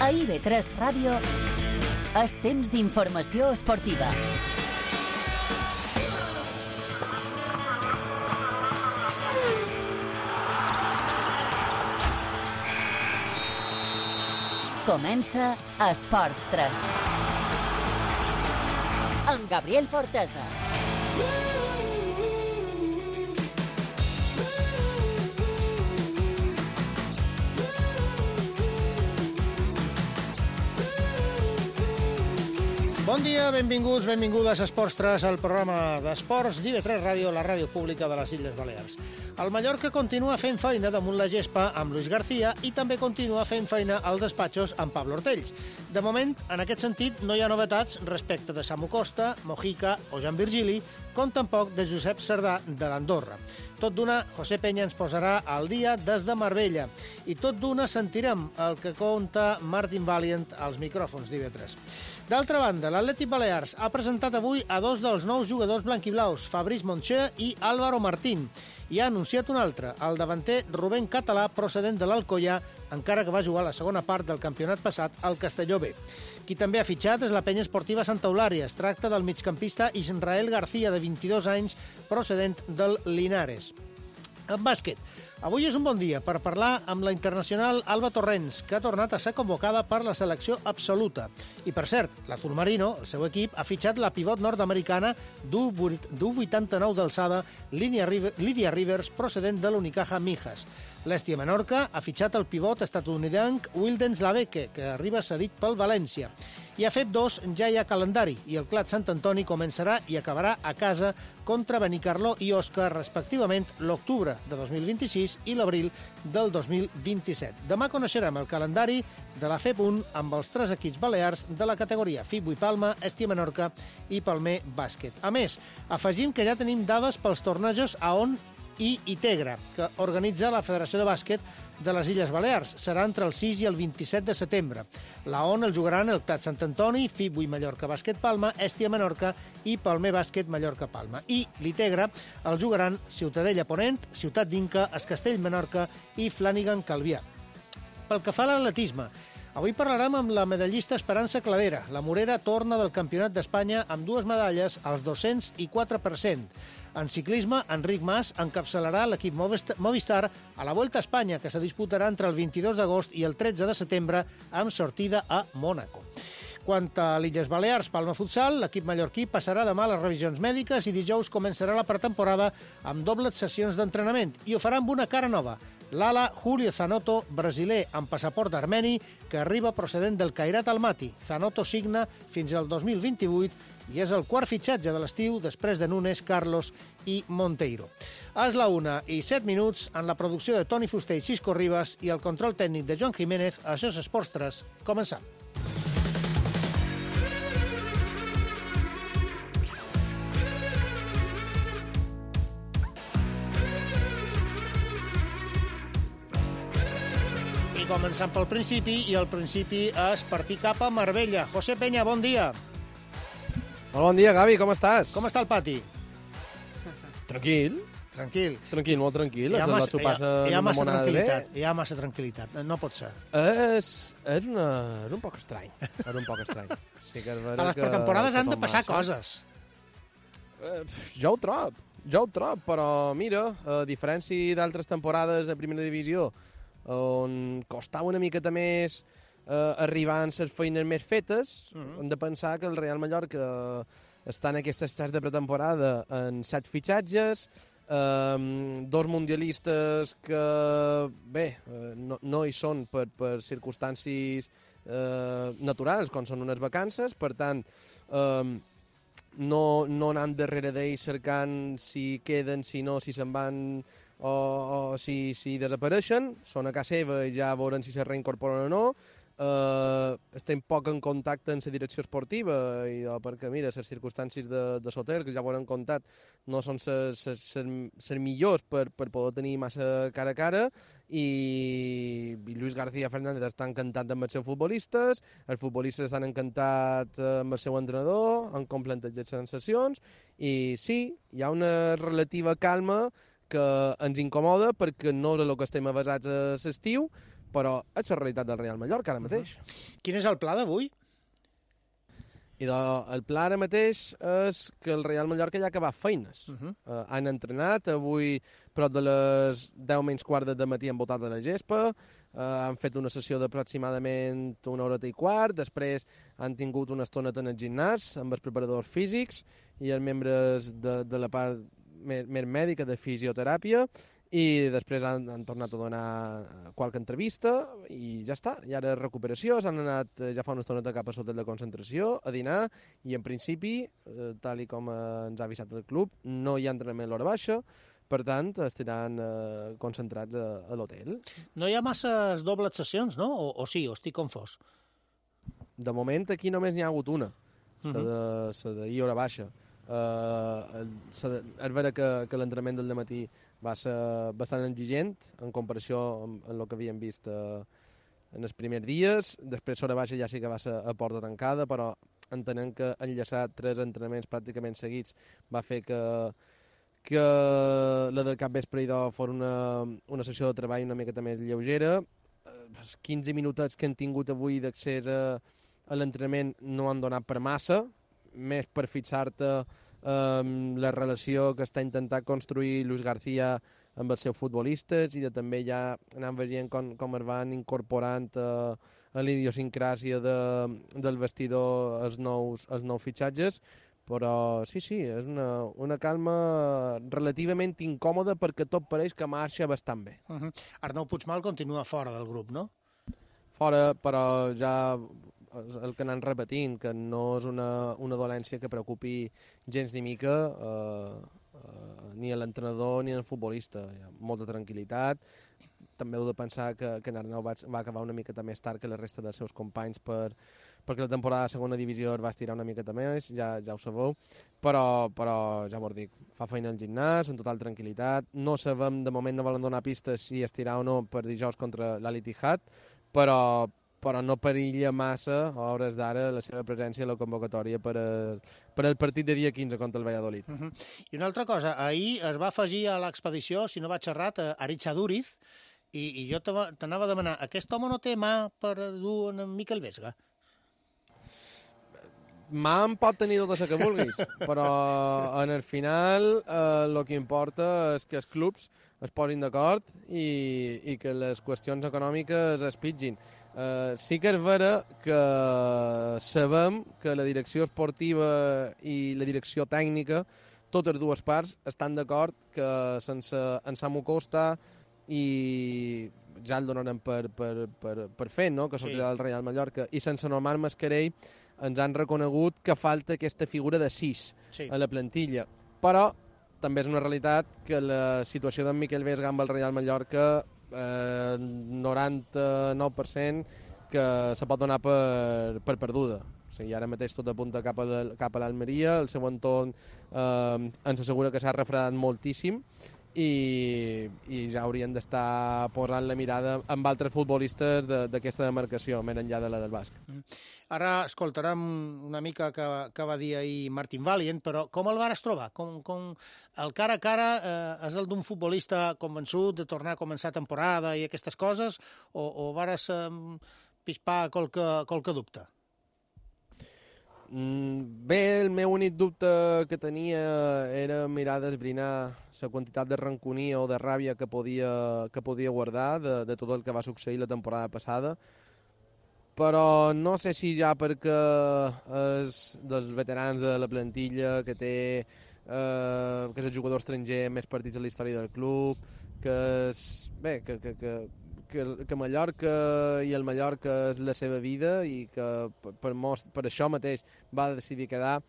A IB3 Ràdio és temps d'informació esportiva. Comença Esports 3. Amb Gabriel Fortesa. Bon dia, benvinguts, benvingudes a Esports 3, el programa d'esports d'IB3 Ràdio, la ràdio pública de les Illes Balears. El Mallorca continua fent feina damunt la gespa amb Luis García i també continua fent feina als despatxos amb Pablo Ortells. De moment, en aquest sentit, no hi ha novetats respecte de Samu Costa, Mojica o Jan Virgili, com tampoc de Josep Cerdà de l'Andorra. Tot d'una, José Peña ens posarà al dia des de Marbella. I tot d'una sentirem el que conta Martin Valiant als micròfons d'IB3. D'altra banda, l'Atlètic Balears ha presentat avui a dos dels nous jugadors blanquiblaus, Fabrice Moncheux i Álvaro Martín, i ha anunciat un altre, el davanter Rubén Català, procedent de l'Alcoyà, encara que va jugar la segona part del campionat passat al Castelló B. Qui també ha fitxat és la penya esportiva Santa Eulària. Es tracta del migcampista Israel García, de 22 anys, procedent del Linares. En bàsquet, avui és un bon dia per parlar amb la internacional Alba Torrents, que ha tornat a ser convocada per la selecció absoluta. I, per cert, l'Azul Marino, el seu equip, ha fitxat la pivot nord-americana d'U89 d'alçada, Lydia Rivers, procedent de l'Unicaja Mijas. L'Estia Menorca ha fitxat el pivot estatunidenc Wildens Laveke, que arriba cedit pel València. I a FEP2 ja hi ha calendari i el Clat Sant Antoni començarà i acabarà a casa contra Benicarló i Òscar, respectivament, l'octubre de 2026 i l'abril del 2027. Demà coneixerem el calendari de la FEP1 amb els 3 equips balears de la categoria FIB Palma, Estia Menorca i Palmer Bàsquet. A més, afegim que ja tenim dades pels tornejos a ON i Itegra, que organitza la Federació de Bàsquet de les Illes Balears. Serà entre el 6 i el 27 de setembre. La ON el jugaran el Clat Sant Antoni, FIB Mallorca Bàsquet Palma, Estia Menorca i Palmer Bàsquet Mallorca Palma. I l'Itegra el jugaran Ciutadella Ponent, Ciutat d'Inca, Es Castell Menorca i Flanagan Calvià. Pel que fa a l'atletisme, avui parlarem amb la medallista Esperança Cladera. La morera torna del Campionat d'Espanya amb 2 medalles als 200 i 4%. En ciclisme, Enric Mas encapçalarà l'equip Movistar a la Vuelta a Espanya, que se disputarà entre el 22 d'agost i el 13 de setembre, amb sortida a Mònaco. Quant a l'Illes Balears, Palma Futsal, l'equip mallorquí passarà demà les revisions mèdiques i dijous començarà la pretemporada amb dobles sessions d'entrenament i ho farà amb una cara nova. L'ala Julio Zanotto, brasiler amb passaport armeni, que arriba procedent del Kairat Almaty. Zanotto signa fins al 2028 i és el quart fitxatge de l'estiu després de Nunes, Carlos i Monteiro. És la 1:07 en la producció de Toni Fuster i Xisco Ribas i el control tècnic de Joan Jiménez. Això és Esports 3. Començam. I començant pel principi, i el principi és partir cap a Marbella. José Peña, bon dia. Molt bon dia, Gavi, com estàs? Com està el pati? Tranquil. Tranquil. Tranquil, molt tranquil. Hi ha massa tranquil·litat. Hi ha massa tranquil·litat. No pot ser. És un poc estrany. És un poc estrany. Sí que a les pretemporades han de passar coses. Jo ho trob, però mira, a diferència d'altres temporades de primera divisió, on costava una miqueta més arribar en les feines més fetes, hem de pensar que el Real Mallorca està en aquest estat de pretemporada en 7 fitxatges, 2 mundialistes que, bé, no hi són per circumstàncies naturals, com són unes vacances, per tant, no anem darrere d'ells cercant si queden, si no, si se'n van o si desapareixen. Són a casa seva i ja veurem si se reincorporen o no. Estem poc en contacte amb la direcció esportiva perquè, mira, les circumstàncies de Soter, que ja ho hem contat, no són les millors per poder tenir massa cara a cara i Luis García Fernández està encantat amb els seus futbolistes, els futbolistes estan encantats amb el seu entrenador, han complantejat sensacions i sí, hi ha una relativa calma que ens incomoda perquè no és el que estem avasats a l'estiu, però és la realitat del Real Mallorca ara mateix. Quin és el pla d'avui? I el pla ara mateix és que el Real Mallorca ja ha acabat feines. Han entrenat, avui prop de les 10 menys quart de matí han voltat a la gespa, han fet una sessió d'aproximadament una horeta i quart, després han tingut una estoneta en el gimnàs amb els preparadors físics i els membres de la part més mèdica de fisioteràpia, i després han tornat a donar qualque entrevista i ja està. I ara recuperació, s'han anat ja fa una estoneta cap a l'hotel de concentració a dinar i en principi, tal i com ens ha avisat el club, no hi ha entrenament a l'hora baixa, per tant estaran concentrats a l'hotel. No hi ha masses dobles sessions, no? O sí, o estic confós? De moment aquí només n'hi ha hagut una, la d'ahir hora baixa. És vera que l'entrenament del dematí va ser bastant exigent en comparació amb el que havíem vist en els primers dies. Després l'hora baixa ja sí que va ser a porta tancada, però entenent que enllaçar 3 entrenaments pràcticament seguits va fer que la del cap vespre fos una sessió de treball una miqueta més lleugera. Els 15 minutets que han tingut avui d'accés a l'entrenament no han donat per massa, més per fixar-te la relació que està intentant construir Luis García amb els seus futbolistes i també ja anant veient com es van incorporant a l'idiosincràsia del vestidor els nous fitxatges, però sí, és una calma relativament incòmoda perquè tot pareix que marxa bastant bé. Arnau Puigmal continua fora del grup, no? Fora, però ja el que anem repetint, que no és una dolència que preocupi gens ni mica ni a l'entrenador ni al futbolista. Hi ha molta tranquil·litat. També heu de pensar que en Arnau va acabar una miqueta més tard que la resta dels seus companys perquè la temporada de segona divisió es va estirar una miqueta més, ja ho sabeu, però ja vos dic, fa feina al gimnàs, en total tranquil·litat. No sabem, de moment no volen donar pistes si estirar o no per dijous contra l'Al-Ittihad, però no perilla massa a hores d'ara la seva presència a la convocatòria per al partit de dia 15 contra el Valladolid. I una altra cosa, ahir es va afegir a l'expedició, si no vaig errat, a Aritz Aduriz, i jo t'anava a demanar, aquest home no té mà per dur en Miquel Vesga? Mà en pot tenir tota la que vulguis, però en el final el que importa és que els clubs es posin d'acord i que les qüestions econòmiques es pitgin. Sí que és vera que sabem que la direcció esportiva i la direcció tècnica, totes dues parts, estan d'acord que sense en Samu Costa i ja el donarem per fet, no? Que sortirà del Real Mallorca, i sense Omar Mascarell ens han reconegut que falta aquesta figura de 6 a la plantilla. Però també és una realitat que la situació d'en Miquel Vesga amb el Real Mallorca 99% que se pot donar per perduda. O sigui, ara mateix tot apunta cap a l'Almeria, el seu entorn ens assegura que s'ha refredat moltíssim i ja haurien d'estar posant la mirada amb altres futbolistes d'aquesta demarcació, més enllà de la del Basc. Ara escoltarem una mica que va dir ahir Martin Valient, però com el vares trobar? Com el cara a cara és el d'un futbolista convençut de tornar a començar temporada i aquestes coses, o vares pispar qualque dubte? Bé, el meu únic dubte que tenia era mirar d'esbrinar la quantitat de ranconia o de ràbia que podia guardar de tot el que va succeir la temporada passada, però no sé si ja perquè és dels veterans de la plantilla que és el jugador estranger amb més partits a la història del club, que Mallorca i el Mallorca és la seva vida i que per això mateix va decidir quedar.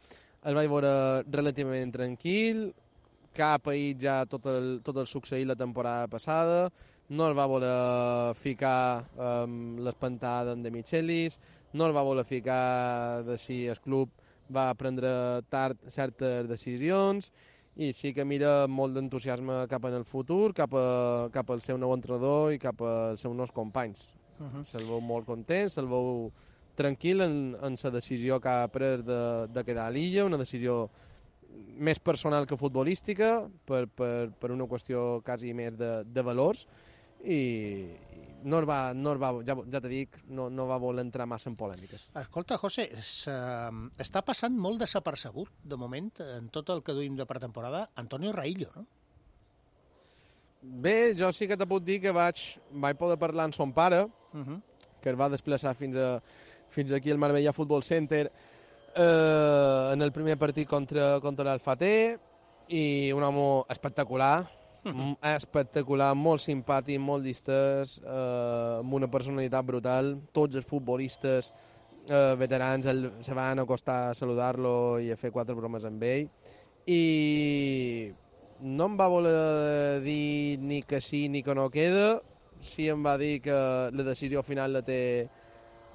El vaig veure relativament tranquil, que ha paït ja tot el succeït la temporada passada, no el va voler ficar l'espantada de Michelis, no el va voler ficar de si el club va prendre tard certes decisions, i sí que mira molt d'entusiasme cap en el futur, cap al seu nou entrenador i cap als seus nous companys. Se'l veu molt content, se'l veu tranquil en la decisió que ha pres de quedar a l'illa, una decisió més personal que futbolística, per una qüestió quasi més de valors, i ja t'he dit, no va voler entrar massa en polèmiques. Escolta, José, està passant molt desapercebut, de moment, en tot el que duim de pretemporada, Antonio Raillo, no? Bé, jo sí que te puc dir que vaig poder parlar amb son pare, que es va desplaçar fins aquí al Marbella Futbol Center en el primer partit contra l'Alfater, i un home espectacular, molt simpàtic, molt distès, amb una personalitat brutal. Tots els futbolistes veterans se van acostar a saludar-lo i a fer 4 bromes amb ell. I no em va voler dir ni que sí ni que no queda. Sí em va dir que la decisió final la té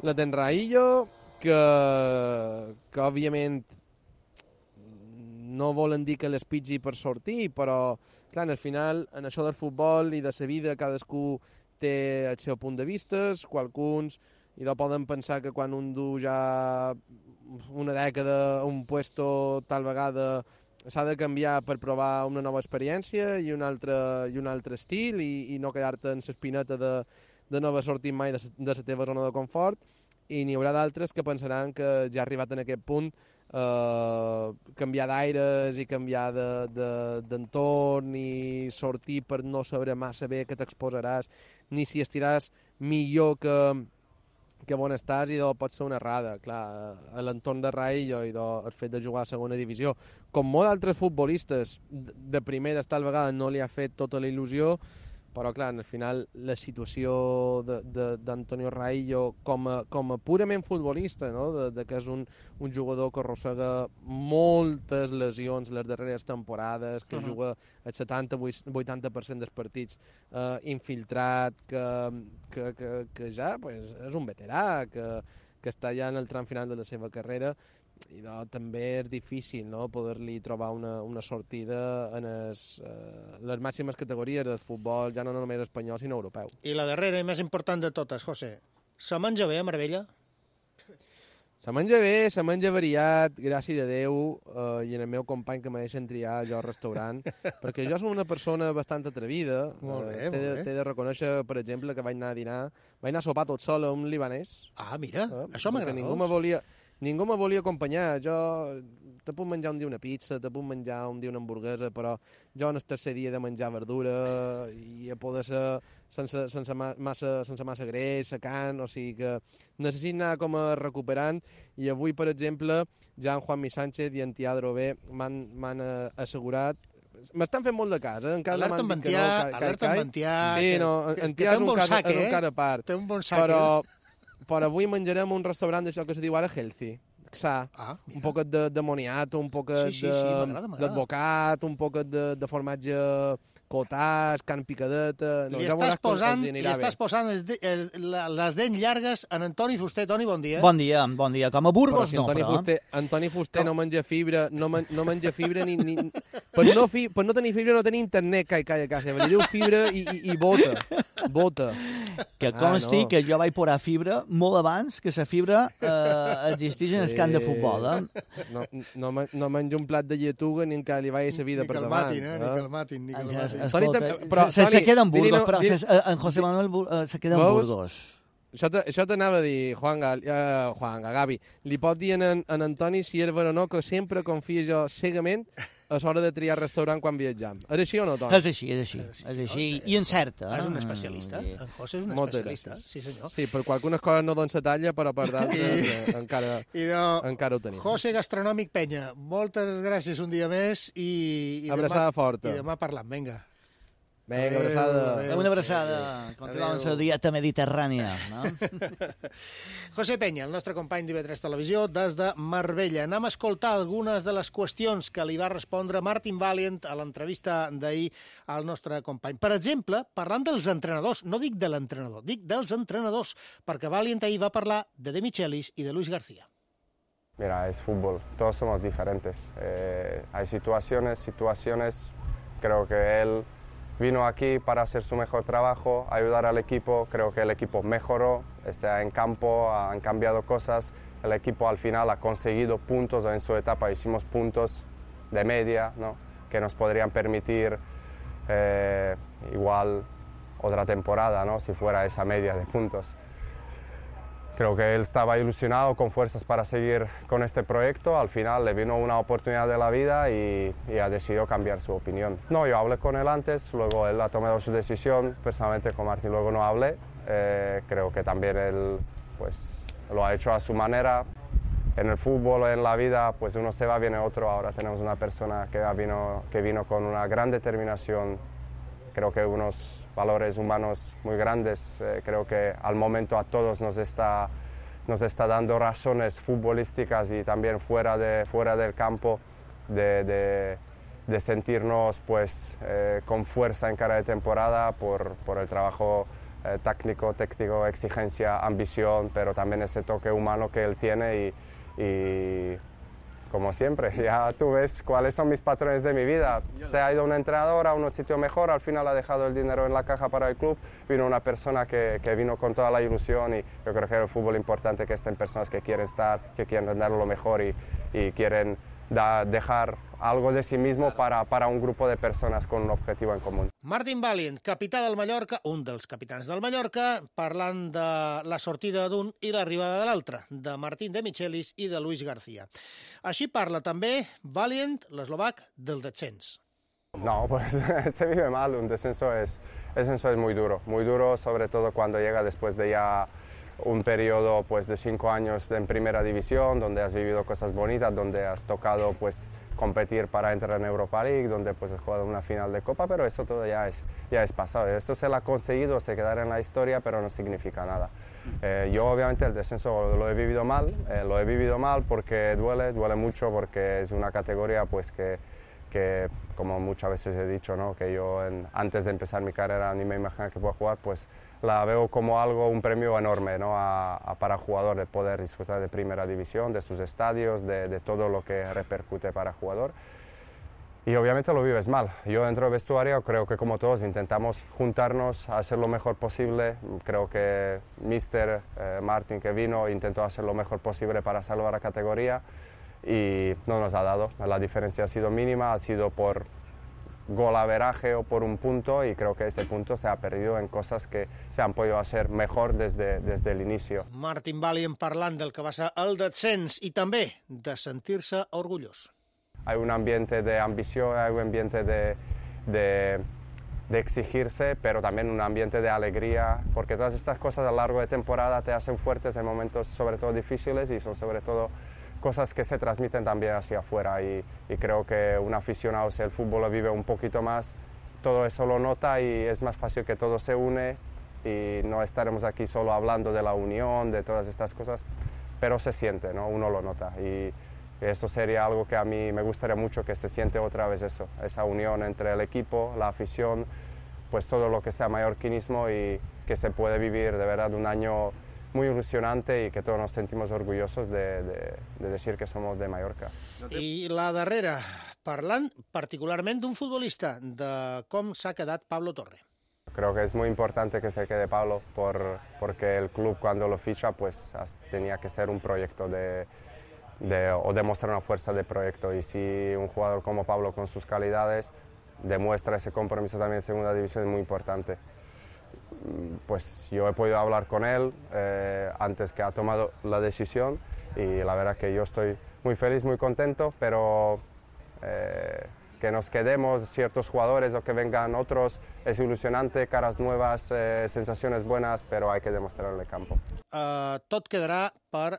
en Raillo, que òbviament no volen dir que l'espitgi per sortir, però clar, al final, en això del futbol i de la vida, cadascú té el seu punt de vista, qualcuns poden pensar que quan un du ja una dècada, un puesto tal vegada s'ha de canviar per provar una nova experiència i un altre estil i no quedar-te en l'espineta de no haver sortit mai de la teva zona de confort, i n'hi haurà d'altres que pensaran que ja ha arribat en aquest punt canviar d'aires i canviar d'entorn i sortir per no saber massa bé que t'exposaràs ni si estiràs millor que on estàs, i pot ser una errada. Clar, a l'entorn de Raillo i el fet de jugar a segona divisió, com molts altres futbolistes de primera, tal vegada no li ha fet tota la il·lusió, però clar, al final la situació d'Antonio Raillo com a purament futbolista, no? que és un jugador que arrossega moltes lesions les darreres temporades, que juga el 70-80% dels partits infiltrat, que ja és un veterà, que està ja en el tram final de la seva carrera, i també és difícil, no?, poder-li trobar una sortida en les màximes categories del futbol, ja no només espanyol, sinó europeu. I la darrera i més important de totes, José, se menja bé a Marbella? Se menja bé, se menja variat, gràcies a Déu, i en el meu company que me deixen triar jo al restaurant, perquè jo soc una persona bastant atrevida. Molt bé, molt bé. T'he de reconèixer, per exemple, que vaig anar a sopar tot sol a un libanès. Ah, mira, això m'agrada. Ningú me volia acompanyar. Jo te puc menjar un dia una pizza, te puc menjar un dia una hamburguesa, però jo en el tercer dia he de menjar verdura i a poder ser sense massa greix, secant, o sigui que necessito anar com a recuperant, i avui, per exemple, ja en Juanmi Sánchez i en Tiadro B m'han assegurat. M'estan fent molt de cas, Alerta en Ventià. Sí, no, en Tià és un cara a part. Té un bon sac, però avui menjarem un restaurant d'això que se diu ara healthy, sa, un poquet de moniato, un poquet d'advocat, un poquet de formatge cotàs, carn picadeta... Li estàs posant les dents llargues en Antoni Fuster. Toni, bon dia. Bon dia. Com a Burgos, no, però... Antoni Fuster no menja fibra, no menja fibra ni... Per no tenir fibra no tenir internet, calla, li diu fibra i bota. Que consti que jo vaig posar fibra molt abans que la fibra existís en el camp de futbol. No menjo un plat de lletuga ni encara li vaig a la vida per davant. Ni que el matin. Se queda en Burgos, però en José Manuel se queda en Burgos. Això t'anava a dir, Gavi. Li pot dir en Antoni si és ver o no que sempre confia jo cegament a l'hora de triar restaurant quan viatjam. És així o no, Toni? És així. I encerta. És un especialista. En José és un especialista. Sí, senyor. Sí, per algunes coses no donen la talla, però per d'altres encara ho tenim. José Gastronòmic Penya, moltes gràcies un dia més i abraçada forta. I demà parlam, vinga. Vinga, abraçada. Una abraçada. Continuem amb la dieta mediterrània. No? José Penya, el nostre company d'IV3 Televisió, des de Marbella. Anem a escoltar algunes de les qüestions que li va respondre Martin Valiant a l'entrevista d'ahir al nostre company. Per exemple, parlant dels entrenadors, no dic de l'entrenador, dic dels entrenadors, perquè Valiant ahir va parlar de De Michelis i de Luis García. Mira, es fútbol, todos somos diferentes. Hay situaciones, creo que él vino aquí para hacer su mejor trabajo, ayudar al equipo, creo que el equipo mejoró, está en campo, han cambiado cosas, el equipo al final ha conseguido puntos, en su etapa hicimos puntos de media, ¿no?, que nos podrían permitir igual otra temporada, ¿no? Si fuera esa media de puntos. Creo que él estaba ilusionado, con fuerzas para seguir con este proyecto. Al final le vino una oportunidad de la vida y ha decidido cambiar su opinión. No, yo hablé con él antes, luego él ha tomado su decisión. Personalmente con Martín luego no hablé. Creo que también él pues, lo ha hecho a su manera. En el fútbol, en la vida, pues uno se va, viene otro. Ahora tenemos una persona que vino con una gran determinación. Creo que unos valores humanos muy grandes. Creo que al momento a todos nos está dando razones futbolísticas y también fuera del campo de sentirnos pues, con fuerza en cada de temporada por el trabajo técnico, exigencia, ambición, pero también ese toque humano que él tiene y como siempre, ya tú ves cuáles son mis patrones de mi vida. Se ha ido un entrenador a un sitio mejor, al final ha dejado el dinero en la caja para el club, vino una persona que vino con toda la ilusión y yo creo que en el fútbol es importante que estén personas que quieren estar, que quieren dar lo mejor y quieren dejar algo de sí mismo para un grupo de personas con un objetivo en común. Martin Valient, capità del Mallorca, un dels capitans del Mallorca, parlant de la sortida d'un i l'arribada de l'altre, de Martín de Michelis i de Luis García. Així parla també Valient, l'eslovac, del descens. No, pues se vive mal, un descenso es muy duro sobre todo cuando llega después de ya un periodo pues, de 5 años en primera división, donde has vivido cosas bonitas, donde has tocado pues, competir para entrar en Europa League, donde pues, has jugado una final de Copa, pero eso todo ya es pasado. Esto se lo ha conseguido, se quedará en la historia, pero no significa nada. Yo obviamente el descenso lo he vivido mal porque duele mucho, porque es una categoría pues, que como muchas veces he dicho, ¿no? Que yo antes de empezar mi carrera ni me imaginaba que pueda jugar, pues la veo como un premio enorme, ¿no? Para jugador, de poder disfrutar de primera división, de sus estadios, de todo lo que repercute para jugador. Y obviamente lo vives mal. Yo dentro del vestuario creo que como todos intentamos juntarnos a hacer lo mejor posible. Creo que Mister Martin que vino intentó hacer lo mejor posible para salvar la categoría y no nos ha dado. La diferencia ha sido mínima, ha sido por golaveraje o por un punto y creo que ese punto se ha perdido en cosas que se han podido hacer mejor desde el inicio. Martin Valient parlant del que va ser el descens i també de sentir-se orgullós. Hay un ambiente de ambición, hay un ambiente de exigirse, pero también un ambiente de alegría, porque todas estas cosas a lo largo de temporada te hacen fuertes en momentos sobre todo difíciles y son sobre todo cosas que se transmiten también hacia afuera y creo que un aficionado, si el fútbol lo vive un poquito más, todo eso lo nota y es más fácil que todo se une y no estaremos aquí solo hablando de la unión, de todas estas cosas, pero se siente, ¿no? Uno lo nota y eso sería algo que a mí me gustaría mucho, que se siente otra vez eso, esa unión entre el equipo, la afición, pues todo lo que sea mallorquinismo y que se puede vivir de verdad un año muy ilusionante y que todos nos sentimos orgullosos de decir que somos de Mallorca. I la darrera, parlant particularment d'un futbolista, de com s'ha quedat Pablo Torre. Creo que es muy importante que se quede Pablo porque el club cuando lo ficha pues tenía que ser un proyecto o demostrar una fuerza de proyecto y si un jugador como Pablo con sus calidades demuestra ese compromiso también en segunda división es muy importante. Pues yo he podido hablar con él antes que ha tomado la decisión y la verdad que yo estoy muy feliz, muy contento, pero que nos quedemos ciertos jugadores o que vengan otros es ilusionante, caras nuevas, sensaciones buenas, pero hay que demostrarlo en el campo. Tot quedarà per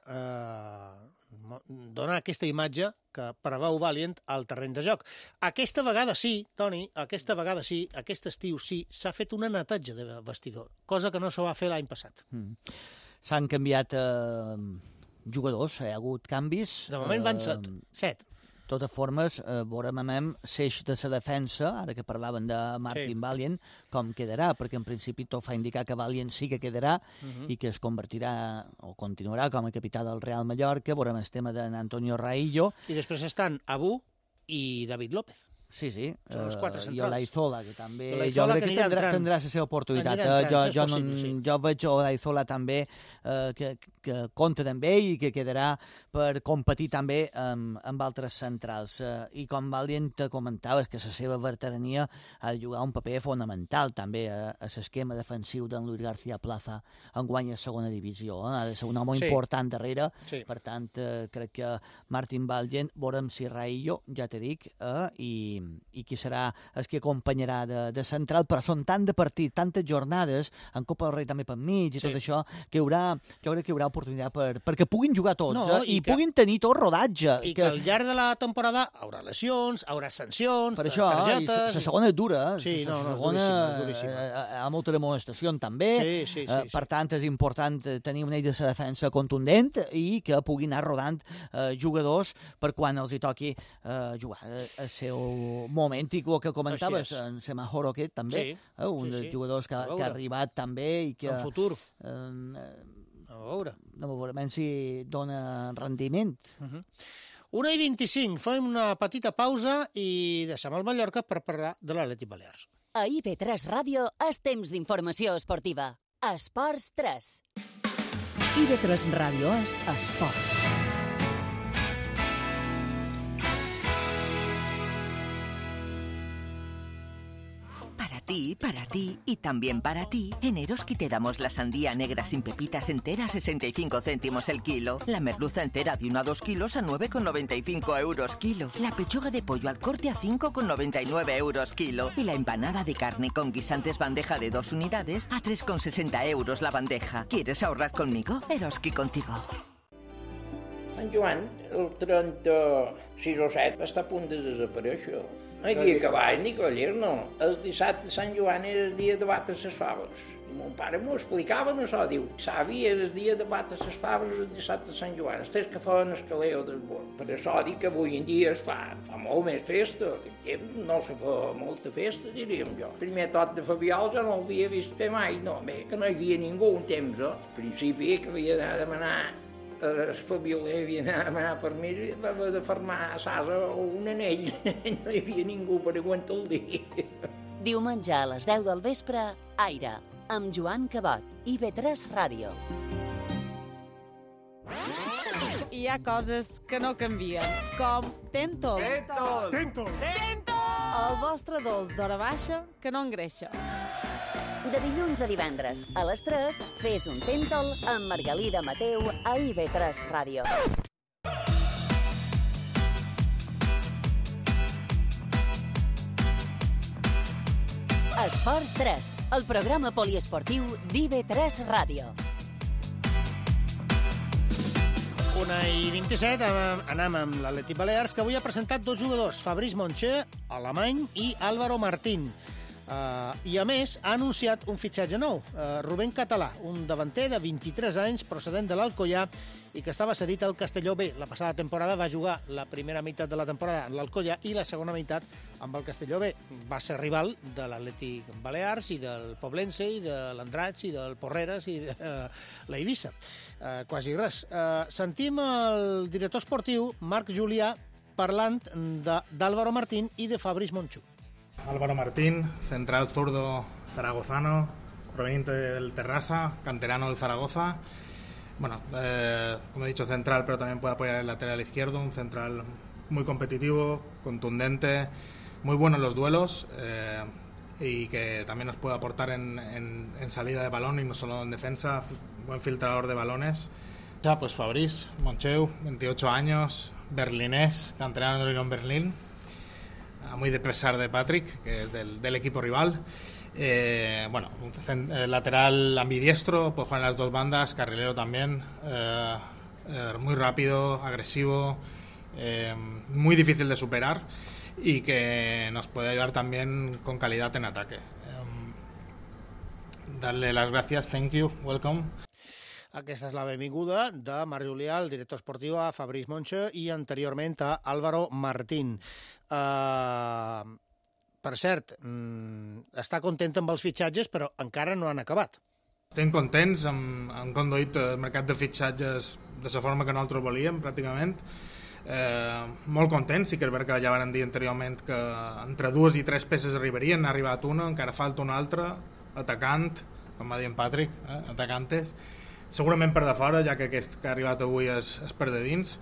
donar aquesta imatge que preveu Valient al terreny de joc. Aquesta vegada sí, Toni, aquest estiu sí, s'ha fet una netatge de vestidor, cosa que no se va fer l'any passat. S'han canviat jugadors, hi ha hagut canvis. De moment van 7. De totes formes, veurem l'eix de la defensa, ara que parlaven de Martin Valient, com quedarà, perquè en principi tot fa indicar que Valient sí que quedarà i que es convertirà o continuarà com a capità del Real Mallorca. Veurem el tema d'Antonio Raillo. I després estan Abu i David López. Sí. Són els 4 centrals. I Olaizola, que també... Jo crec que tindrà la seva oportunitat. Jo veig Olaizola també, que compta amb ell i que quedarà per competir també amb altres centrals. I com Valient comentava, que la seva veterania ha de jugar un paper fonamental també a l'esquema defensiu d'en Luis García Plaza en guany a segona divisió. Ha de ser un home important darrere. Per tant, crec que Martín Valient, veurem si Raillo, ja te dic, i qui serà el que acompanyarà de central, però són tant de partit, tantes jornades, en Copa del Rei també per mig i tot això, que jo crec que hi haurà oportunitat perquè puguin jugar tots i puguin tenir tot rodatge. I que al llarg de la temporada haurà lesions, haurà sancions, per això, targetes... La segona és dura, és duríssima. Hi ha molta demostració també, per tant és important tenir una de la defensa contundent i que puguin anar rodant jugadors per quan els hi toqui jugar el seu moment, i el que comentaves, en Semajoro aquest també, un dels jugadors que ha arribat també i que... En futur. A veure. No veurem si dona rendiment. 1:25, fem una petita pausa i deixem el Mallorca per parlar de l'Atlètic Balears. A IB3 Ràdio és temps d'informació esportiva. Esports 3. IB3 Ràdio és esports. Para ti y también para ti, en Eroski te damos la sandía negra sin pepitas entera a 65 céntimos el kilo, la merluza entera de 1 a 2 kilos a 9,95 euros kilo, la pechuga de pollo al corte a 5,99 euros kilo y la empanada de carne con guisantes bandeja de 2 unidades a 3,60 euros la bandeja. ¿Quieres ahorrar conmigo? Eroski contigo. Sant Joan, el 36 o 7, està a punt de desaparèixer. No hi havia cavall ni coller, no. El dissabte de Sant Joan era el dia de batre les faves. I mon pare m'ho explicava, no això, diu, savi, era el dia de batre les faves el dissabte de Sant Joan. Els que feien el caleo del bord. Per això dic que avui en dia es fa molt més festa. No se fa molta festa, diríem jo. El primer tot de Fabiol jo no l'havia vist fer mai, no. Bé, que no hi havia ningú un temps, Al principi que havia d'anar a demanar el Fabioler havia d'anar a demanar permís i va haver de fermar a Sasa un anell. No hi havia ningú per aguantar el dia. Diumenge a les 10 del vespre, Aire, amb Joan Cabot, IB3 Ràdio. Hi ha coses que no canvien, com Tentol. Tentol! El vostre dolç d'hora baixa que no engreixa. De dilluns a divendres, a les 3, fes un Tentol amb Margalida Mateu a IB3 Ràdio. Esports 3, el programa poliesportiu d'IB3 Ràdio. 1:27, anem amb l'Atlètic Balears, que avui ha presentat 2 jugadors, Fabrice Monche, alemany, i Álvaro Martín. I, a més, ha anunciat un fitxatge nou, Rubén Català, un davanter de 23 anys procedent de l'Alcoyà i que estava cedit al Castelló B. La passada temporada va jugar la primera meitat de la temporada en l'Alcoyà i la segona meitat amb el Castelló B. Va ser rival de l'Atlètic Balears i del Poblense i de l'Andratx i del Porreres i de l'Eivissa. Quasi res. Sentim el director esportiu, Marc Julià, parlant d'Álvaro Martín i de Fabrice Monchu. Álvaro Martín, central zurdo zaragozano, proveniente del Terrassa, canterano del Zaragoza. Bueno, como he dicho, central, pero también puede apoyar el lateral izquierdo, un central muy competitivo, contundente, muy bueno en los duelos y que también nos puede aportar en salida de balón y no solo en defensa, buen filtrador de balones. Ya, pues Fabrice Moncheu, 28 años, berlinés, canterano de Unión Berlín. Muy de pesar de Patrick, que es del equipo rival. Bueno, lateral ambidiestro, puede jugar en las dos bandas, carrilero también, muy rápido, agresivo, muy difícil de superar y que nos puede ayudar también con calidad en ataque. Darle las gracias, thank you, welcome. Aquesta és la benvinguda de Marc Julià, el director esportiu, a Fabrice Monche i anteriorment a Álvaro Martín. Per cert, està content amb els fitxatges, però encara no han acabat. Estem contents, hem conduït el mercat de fitxatges de la forma que nosaltres volíem, pràcticament. Molt content, sí que és veritat que ja van dir anteriorment que entre 2 i 3 peces arribarien, n'ha arribat una, encara falta una altra, atacant, com va dir en Patrick, atacantes, segurament per de fora, ja que aquest que ha arribat avui és per de dins,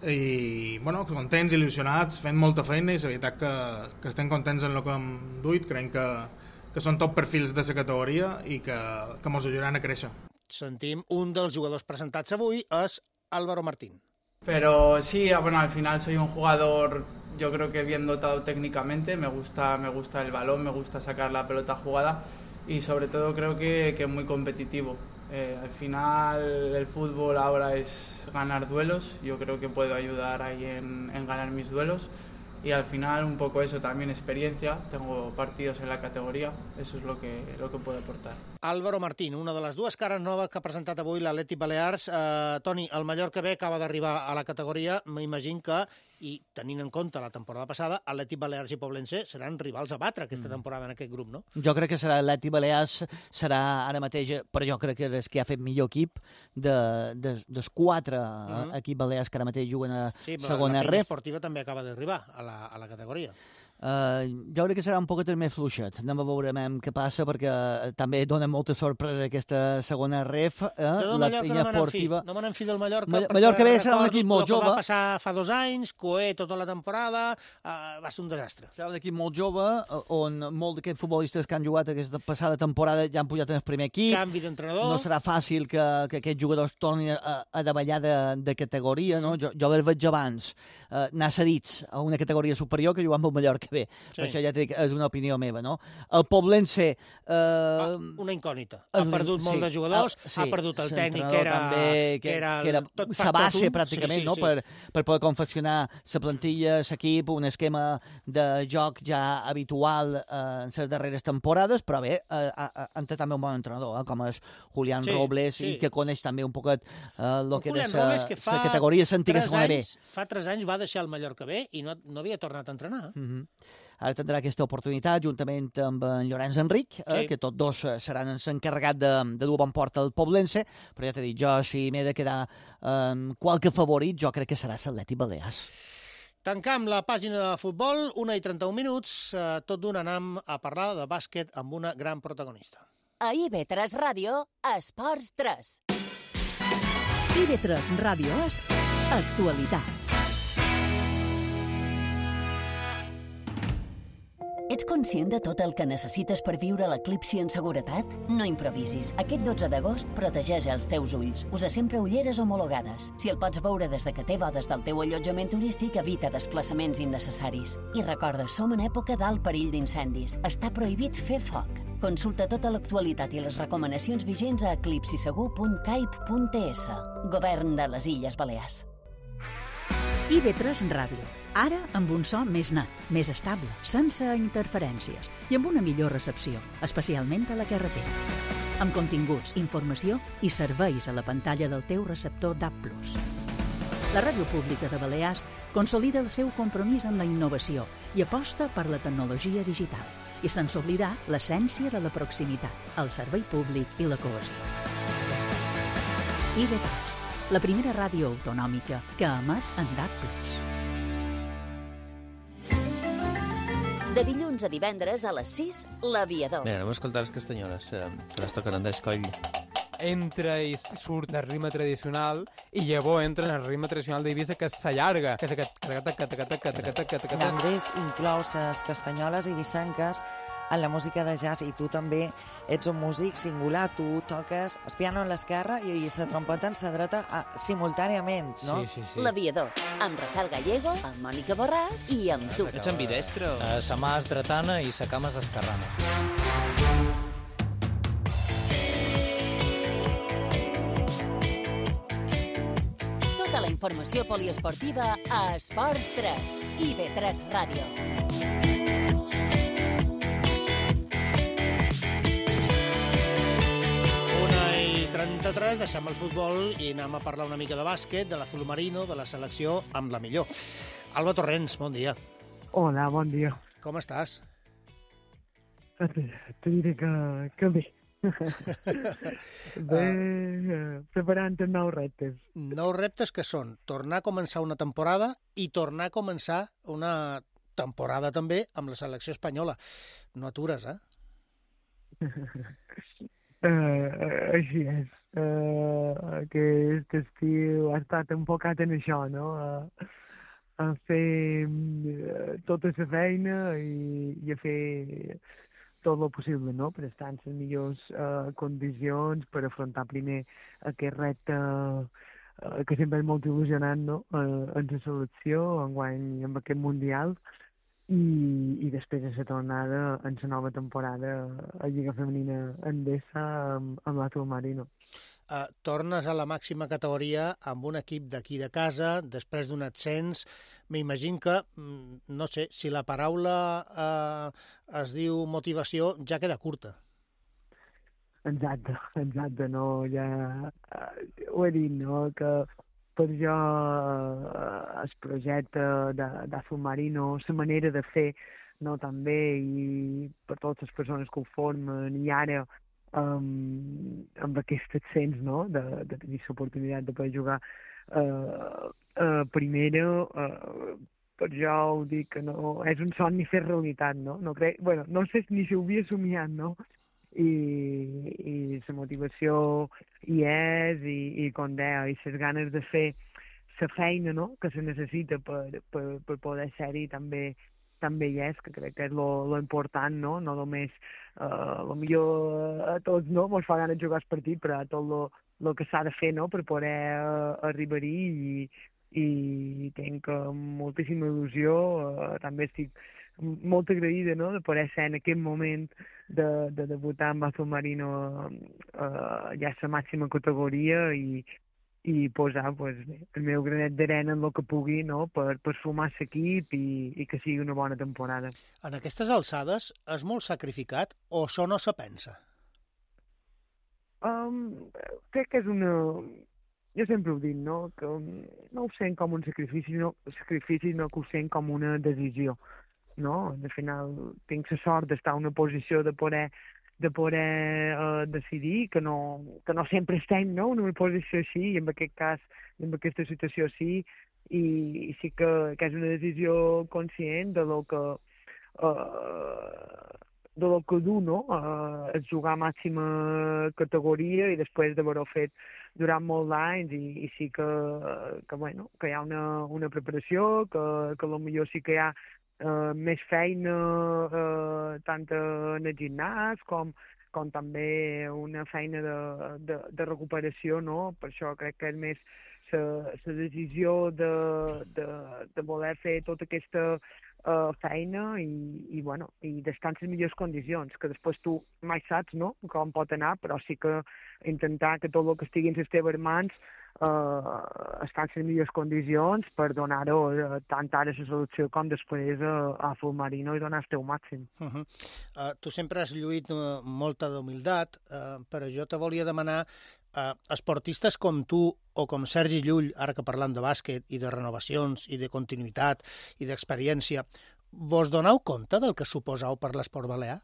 i bueno, contents, il·lusionats, fent molta feina, i la veritat que estem contents en el que hem duit, creiem que són top perfils de la categoria i que ens ajudaran a créixer. Sentim un dels jugadors presentats avui, és Álvaro Martín. Pero sí, bueno, al final soy un jugador, yo creo que bien dotado técnicamente, me gusta el balón, me gusta sacar la pelota jugada y sobre todo creo que muy competitivo. Al final el fútbol ahora es ganar duelos, yo creo que puedo ayudar ahí en ganar mis duelos y al final un poco eso, también experiencia, tengo partidos en la categoría, eso es lo que puedo aportar. Álvaro Martín, una de les dues cares noves que ha presentat avui l'Atlètic Balears. Toni, el Mallorca B acaba d'arribar a la categoria, m'imagino que, i tenint en compte la temporada passada, Atlètic Balears i Poblense seran rivals a batre aquesta temporada en aquest grup, no? Jo crec que serà Atlètic Balears, serà ara mateix, però jo crec que és que ha fet millor equip dels 4 equips balears que ara mateix juguen a segona ref. La Penya Esportiva també acaba d'arribar a la categoria. Jo crec que serà un poquet més fluixet. Anem a veure què passa, perquè també dona molta sorpresa aquesta segona ref. La Penya Esportiva... No me n'en fi del Mallorca. Mallorca B serà un equip molt jove. El que va passar fa 2 anys, Coé tota la temporada, va ser un desastre. Serà un equip molt jove, on molts d'aquests futbolistes que han jugat aquesta passada temporada ja han pujat en el primer equip. Canvi d'entrenador. No serà fàcil que aquests jugadors tornin a davallar de categoria, no? Jo els veig abans anar cedits a una categoria superior que jugar amb el Mallorca B. Sí. Això ja és una opinió meva, no? El Poblense... una incògnita. Ha perdut molt de jugadors, ha perdut el tècnic, que era sa base, pràcticament, no? Per poder confeccionar la plantilla, l'equip, un esquema de joc ja habitual en les darreres temporades, però bé, han també un bon entrenador, com és Julián Robles, i que coneix també un poquet el que era la categoria l'antiga segona B. Fa 3 anys va deixar el Mallorca B i no havia tornat a entrenar. Ara tindrà aquesta oportunitat juntament amb en Llorenç Enric, que tots dos seran l'encarregat de dur bon port al Poblense, però ja t'he dit, jo si m'he de quedar qualque favorit, jo crec que serà l'Atlètic Balears. Tancam la pàgina de futbol, 1:31, tot d'un anam a parlar de bàsquet amb una gran protagonista. A IB3 Ràdio, Esports 3. IB3 Ràdio és actualitat. Ets conscient de tot el que necessites per viure l'eclipsi en seguretat? No improvisis. Aquest 12 d'agost protegeix els teus ulls. Usa sempre ulleres homologades. Si el pots veure des de que té bodes del teu allotjament turístic, evita desplaçaments innecessaris. I recorda, som en època d'alt perill d'incendis. Està prohibit fer foc. Consulta tota l'actualitat i les recomanacions vigents a eclipsisegur.caip.es. Govern de les Illes Balears. IB3 Ràdio. Ara amb un so més net, més estable, sense interferències i amb una millor recepció, especialment a la carretera. Amb continguts, informació i serveis a la pantalla del teu receptor DAB+. La Ràdio Pública de Balears consolida el seu compromís amb la innovació i aposta per la tecnologia digital, i sense oblidar l'essència de la proximitat, el servei públic i la cohesió. IB3, la primera ràdio autonòmica que emet en DAB+. De dilluns a divendres a les 6, l'Aviador. Mira, anem a escoltar les castanyoles, que les toquen Andrés Coll. Entra i surt el ritme tradicional i llavors entra en el ritme tradicional d'Eivissa, que s'allarga, que és aquest... Andrés inclou les castanyoles eivissenques en la música de jazz, i tu també ets un músic singular, tu toques el piano en l'esquerra i la trompeta en la dreta simultàniament, no? Sí. L'Aviador, amb Rafael Gallego, amb Mònica Borràs i amb tu. Ets ambidestre? Sa mà és dretana i sa cama és esquerrana. Tota la informació poliesportiva a Esports 3, IB3 Ràdio. 1:33, deixem el futbol i anem a parlar una mica de bàsquet, de l'Azul Marino, de la selecció amb la millor. Alba Torrents, bon dia. Hola, bon dia. Com estàs? Te diré que bé. Preparant els nous reptes. Nous reptes que són tornar a començar una temporada i tornar a començar una temporada també amb la selecció espanyola. No atures, eh? Així és. Aquest estiu ha estat enfocat en això, no? A fer tota la feina i a fer tot el possible, no?, per estar en les millors condicions, per afrontar primer aquest repte que sempre és molt il·lusionant, no?, en la selecció, enguany amb aquest Mundial, i després de la tornada en la nova temporada a Lliga Femenina Endesa amb l'Atul Marino. Tornes a la màxima categoria amb un equip d'aquí de casa, després d'un ascens. M'imagino que, no sé, si la paraula es diu motivació, ja queda curta. Exacte, no, ja ho he dit, no, que per jo el projecte d'Atul Marino, la manera de fer, no, també, i per totes les persones que ho formen, i ara amb aquest ascens, no?, de tenir l'oportunitat de poder jugar primera, per jo ho dic que no, és un somni fer realitat, no? No crec, bueno, no sé ni si ho havia somiat, no? I la motivació hi és, i com deia, i les ganes de fer la feina, no?, que se necessita per poder ser-hi també hi és, que crec que és lo important, no? No només, millor a tots, no?, mos fa ganes de jugar el partit, però tot lo que s'ha de fer, no?, per poder arribar-hi, i tinc moltíssima il·lusió, també estic molt agraïda, no?, de poder ser en aquest moment de debutar amb Atul Marino ja a la màxima categoria i posar el meu granet d'arena en el que pugui, no?, per sumar l'equip i que sigui una bona temporada. En aquestes alçades és molt sacrificat o això no se pensa? Crec que és una... Jo sempre ho dic, no?, que no ho sent com un sacrifici, no que ho sent com una decisió, no? Al final tinc la sort d'estar en una posició de poder decidir, que no sempre estem, no?, en una posició així, i en aquest cas, en aquesta situació sí, i sí que és una decisió conscient de lo que du, no?, és jugar a màxima categoria i després d'haver-ho fet durant molts anys, i sí que hi ha una preparació, que potser sí que hi ha més feina tant en el gimnàs com també una feina de recuperació, no? Per això crec que és més la decisió de voler fer tota aquesta feina i d'estar en les millors condicions, que després tu mai saps, no?, com pot anar, però sí que intentar que tot el que estigui en les teves mans estar en les millors condicions per donar-ho tant ara a la selecció com després a Atul Marino i donar el teu màxim. Tu sempre has lluït molta d'humilitat, però jo te volia demanar, esportistes com tu o com Sergi Llull, ara que parlam de bàsquet i de renovacions i de continuïtat i d'experiència, vos doneu compte del que suposeu per l'esport balear?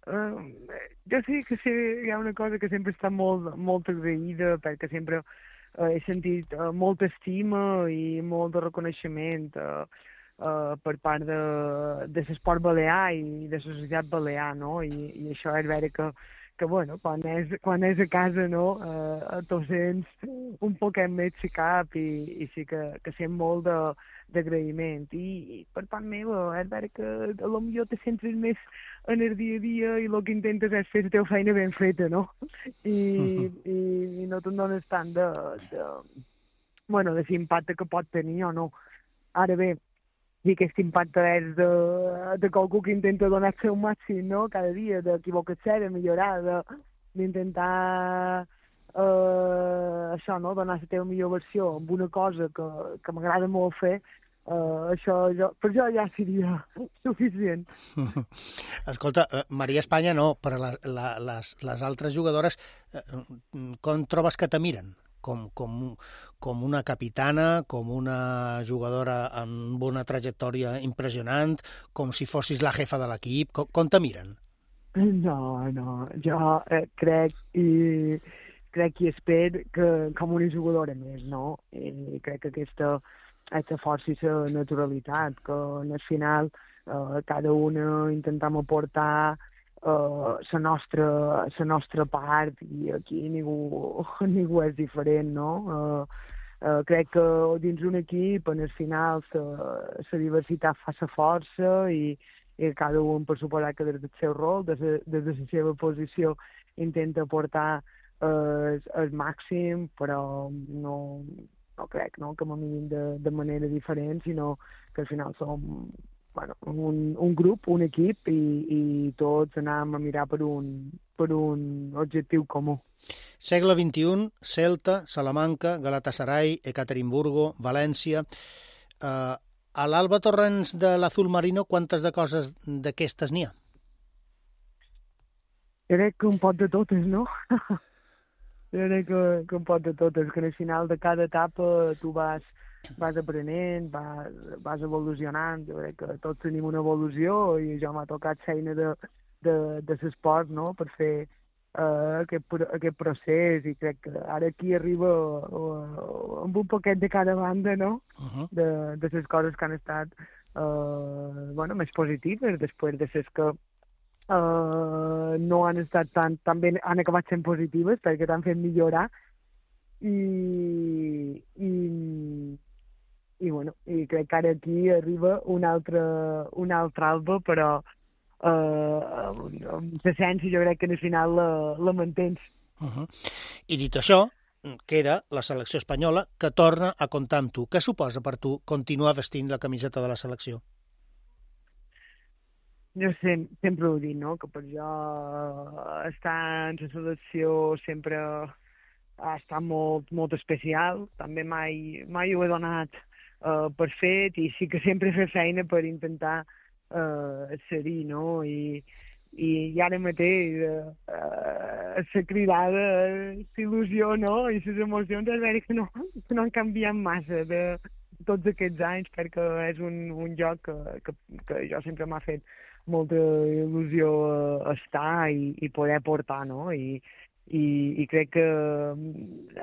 Jo sí que hi ha una cosa que sempre està molt agraïda, perquè sempre he sentit molta estima i molt de reconeixement per part de l'esport balear i de la societat balear, no? I això és veure que bueno, quan és a casa, no, t'ho sents un poquet més si cap, i sí que sent molt d'agraïment. I per part meva és veure que potser te centres més en el dia a dia i el que intentes és fer la teva feina ben feta, no? I no te'n dones tant de l'impacte que pot tenir o no. Ara bé, i aquest impacte és de qualcú que intenta donar el seu màxim, no?, cada dia, d'equivocar-se, de millorar, d'intentar això, no?, donar la teva millor versió amb una cosa que m'agrada molt fer. Per jo ja seria suficient. Escolta, Maria Espanya no, però les altres jugadores, com trobes que te miren? Com una capitana, com una jugadora amb una trajectòria impressionant, com si fossis la jefa de l'equip? Com te miren? No, jo crec i espero que com una jugadora més, no? I crec que aquesta força i la naturalitat, que al final cada una intentem aportar la nostra part i aquí ningú és diferent, no? Crec que dins un equip, al final, la diversitat fa la força i cada un, per suposar que des del seu rol, des de la seva posició, intenta aportar el màxim, però no crec que m'ho mirin de manera diferent, sinó que al final som un grup, un equip, i tots anem a mirar per un objectiu comú. Segle XXI, Celta, Salamanca, Galatasaray, Ekaterimburgo, València... A l'Alba Torrents de l'Azul Marino, quantes de coses d'aquestes n'hi ha? Crec que un pot de totes, no? Crec que un pot de totes, que al final de cada etapa tu vas aprenent, vas evolucionant. Jo crec que tots tenim una evolució i jo m'ha tocat feina de l'esport, no?, per fer aquest procés, i crec que ara aquí arriba amb un poquet de cada banda, no?, de les coses que han estat més positives, després de les que no han estat tan bé, han acabat sent positives perquè t'han fet millorar, i crec que ara aquí arriba un altre Alba, però amb l'essència jo crec que al final la mantens. I dit això, queda la selecció espanyola, que torna a comptar amb tu. Què suposa per tu continuar vestint la camiseta de la selecció? Jo sempre ho dic, no?, que per jo estar en la selecció sempre ha estat molt especial. També mai ho he donat per fet, i sí que sempre he fet feina per intentar ser-hi, no? I ara mateix la cridada, l'il·lusió, no?, i les emocions és veure que no han canviat massa de tots aquests anys, perquè és un joc que jo sempre m'ha fet molta il·lusió estar i poder portar, no? I crec que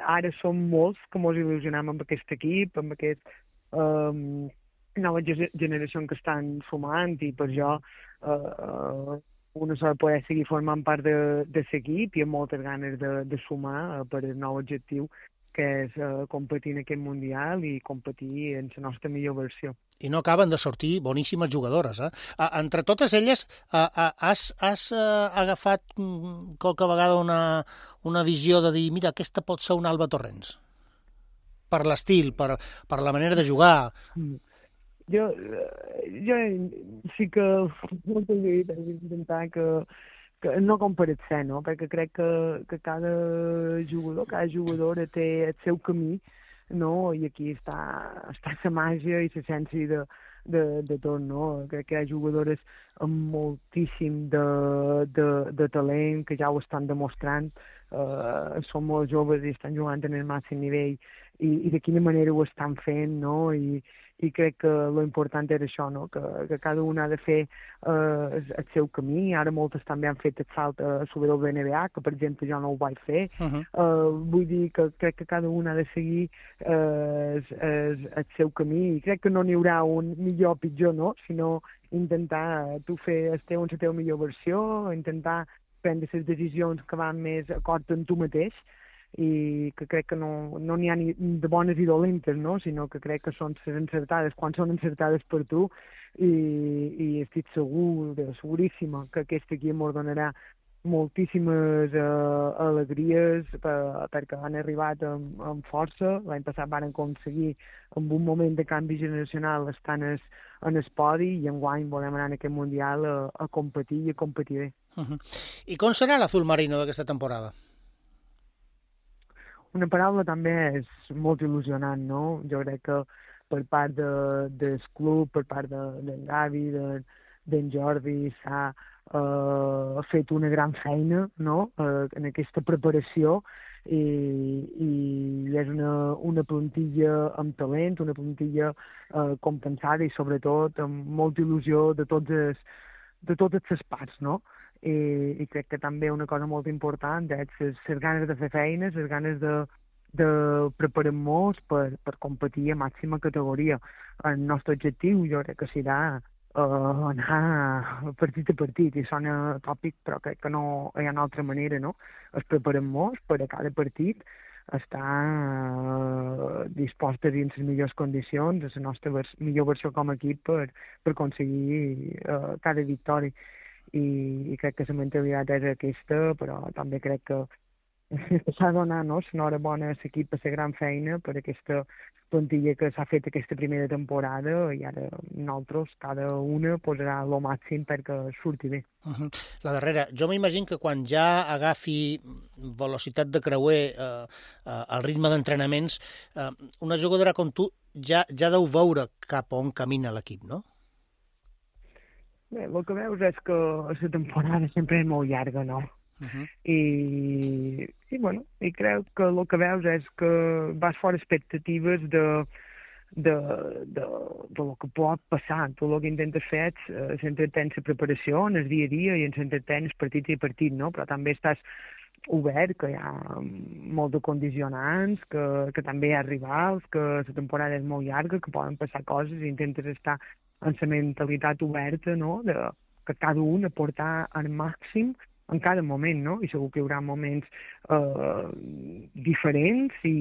ara som molts que mos il·lusionem amb aquest equip, amb aquest nova generació que estan sumant, i per jo una s'ha de poder seguir formant part de l'equip i amb moltes ganes de sumar per el nou objectiu, que és competir en aquest Mundial i competir en la nostra millor versió. I no acaben de sortir boníssimes jugadores, eh? Entre totes elles, has agafat qualque vegada una visió de dir, mira, aquesta pot ser un Alba Torrents? Per l'estil, per la manera de jugar... Jo sí que moltes vegades he d'intentar que no comparar-se, no? Perquè crec que cada jugadora té el seu camí, no? I aquí està la màgia i l'essència de tot, no? Crec que hi ha jugadores amb moltíssim de talent, que ja ho estan demostrant, són molt joves i estan jugant en el màxim nivell, i de quina manera ho estan fent, no? I crec que l'important era això, no?, que cada un ha de fer el seu camí. Ara moltes també han fet el salt a subir del NBA, que per exemple jo no ho vaig fer. Vull dir que crec que cada un ha de seguir el seu camí, i crec que no n'hi haurà un millor o pitjor, no?, sinó intentar tu fer la teva millor versió, intentar prendre les decisions que van més acord amb tu mateix, i que crec que no n'hi ha ni de bones i dolentes, no?, sinó que crec que són les encertades quan són encertades per tu, i estic seguríssima que aquest equip ens donarà moltíssimes alegries, perquè han arribat amb força. L'any passat van aconseguir, amb un moment de canvi generacional, estar en el podi, i enguany volem anar en aquest Mundial a competir i a competir bé. I com serà l'Azul Marino d'aquesta temporada? Una paraula també és molt il·lusionant, no? Jo crec que per part del club, per part d'en Gavi, d'en Jordi, s'ha fet una gran feina, no?, en aquesta preparació, i és una plantilla amb talent, una plantilla compensada i sobretot amb molta il·lusió de totes les parts, no? i crec que també una cosa molt important és les ganes de fer feines, les ganes de preparar-nos per competir a màxima categoria. El nostre objectiu jo crec que serà anar partit a partit, i sona tòpic, però crec que no hi ha una altra manera, no? Es preparem-nos per a cada partit estar dispostes i en les millors condicions, a la nostra millor versió com a equip per aconseguir cada victòria. I crec que la mentalitat és aquesta, però també crec que s'ha de donar l'enhorabona a l'equip per la gran feina, per aquesta plantilla que s'ha fet aquesta primera temporada, i ara nosaltres, cada una, posarà el màxim perquè surti bé. La darrera, jo m'imagino que quan ja agafi velocitat de creuer al ritme d'entrenaments, una jugadora com tu ja deu veure cap on camina l'equip, no? Bé, el que veus és que la temporada sempre és molt llarga, no? I crec que el que veus és que vas fora expectatives de lo que pot passar. Tu el que intentes fer és s'entretens la preparació en el dia a dia i ens entretens partit i partit, no? Però també estàs obert, que hi ha molt de condicionants, que també hi ha rivals, que la temporada és molt llarga, que poden passar coses, i intentes estar amb la mentalitat oberta, no?, que cada un aportar al màxim en cada moment, no? I segur que hi haurà moments diferents, i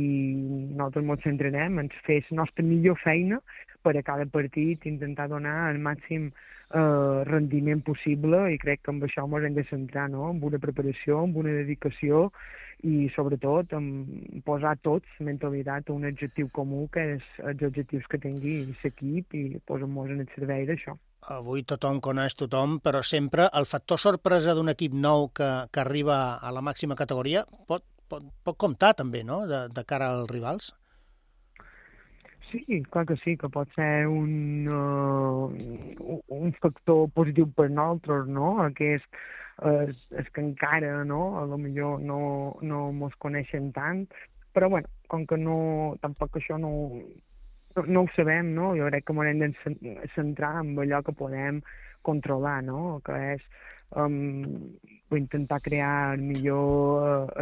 nosaltres ens centrarem en fer la nostra millor feina per a cada partit, intentar donar el màxim rendiment possible, i crec que amb això ens hem de centrar, no?, amb una preparació, amb una dedicació, i sobretot en posar tots mentalitat a un objectiu comú, que és els objectius que tingui l'equip, i posar-nos en el servei d'això. Avui tothom coneix tothom, però sempre el factor sorpresa d'un equip nou que arriba a la màxima categoria pot comptar també, no?, de cara als rivals. Sí, clar que sí, que pot ser un factor positiu per nosaltres, no?, que és que encara, no?, a lo millor no mos coneixen tant, però bueno, com que tampoc això no ho sabem, no?, jo crec que ens hem de centrar en allò que podem controlar, no?, que és intentar crear el millor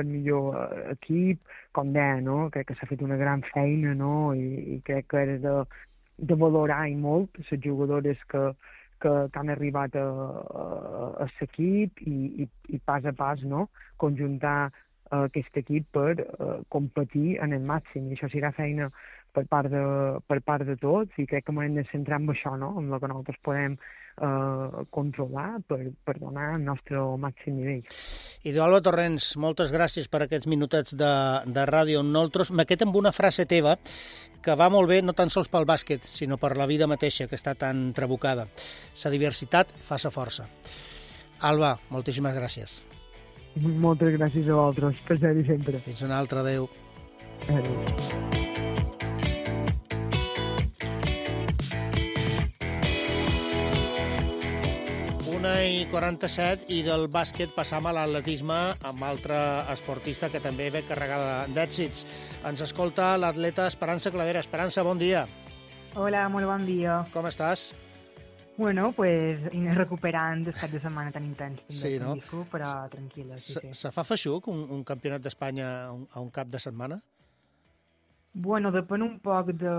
equip, com deia, no?, crec que s'ha fet una gran feina, no?, i crec que és de valorar i molt les jugadores que han arribat a l'equip, i pas a pas, no?, conjuntar aquest equip per competir en el màxim, i això serà feina per part de tots, i crec que hem de centrar en això, no?, en el que nosaltres podem controlar per donar el nostre màxim nivell. Idoalba Torrents, moltes gràcies per aquests minutets de ràdio amb nosaltres. Me quedo amb una frase teva que va molt bé no tan sols pel bàsquet, sinó per la vida mateixa, que està tan trabucada. La diversitat fa la força. Alba, moltíssimes gràcies. Moltes gràcies a vosaltres, per ser-hi sempre. Fins una altra, adeu. Adéu. 1:47, i del bàsquet passam a l'atletisme amb altre esportista que també ve carregada d'èxits. Ens escolta l'atleta Esperança Cladera. Esperança, bon dia. Hola, molt bon dia. Com estàs? Bueno, pues recuperant el cap de setmana tan intens. Sí, no? Però tranquil·la, sí. Se fa feixuc un campionat d'Espanya a un cap de setmana? Bueno, depèn un poc de